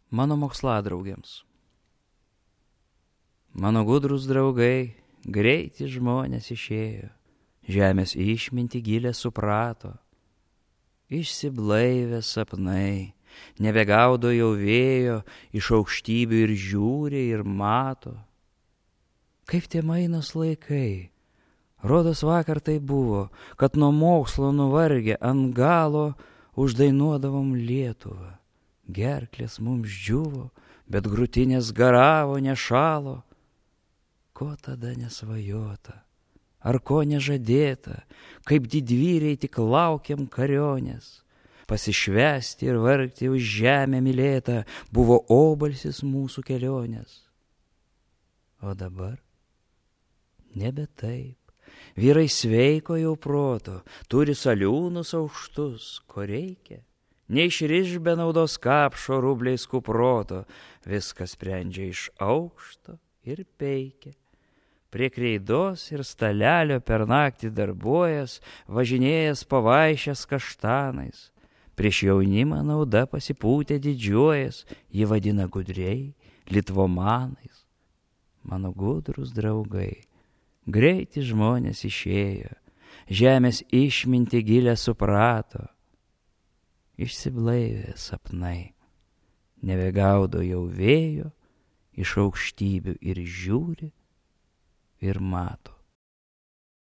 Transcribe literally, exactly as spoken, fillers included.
Mano moksładraugiams. Mano gudrus draugai, greiti žmonės išėjo, žemės išminti gilę suprato. Išsiblaivę sapnai, nebegaudo jau vėjo, iš aukštybių ir žiūri ir mato. Kaip tie mainos laikai, rodos vakar tai buvo, kad nuo mokslo nuvargę ant galo uždainuodavom Lietuvą. Gerklės mums džiuvo, bet grūtinės garavo, nešalo. Ko tada nesvajota, ar ko nežadėta, kaip didvyriai tik laukiam karionės. Pasišvesti ir vargti už žemę mylėtą buvo obalsis mūsų kelionės. O dabar nebe taip. Vyrai sveiko jau proto, turi saliūnus aukštus, ko reikia. Neišriš be naudos kapšo rubliais kuproto, viskas sprendžia iš aukšto ir peikia. Prie kreidos ir stalelio per naktį darbuojas, važinėjas pavaišęs kaštanais. Prieš jaunimą nauda pasipūtė didžiuojas, jį vadina gudriai, litvomanais. Mano gudrus draugai, greiti žmonės išėjo, žemės išminti gilę suprato. Išsiblaivė sapnai, nebegaudo jau vėjo, iš aukštybių ir žiūri ir mato.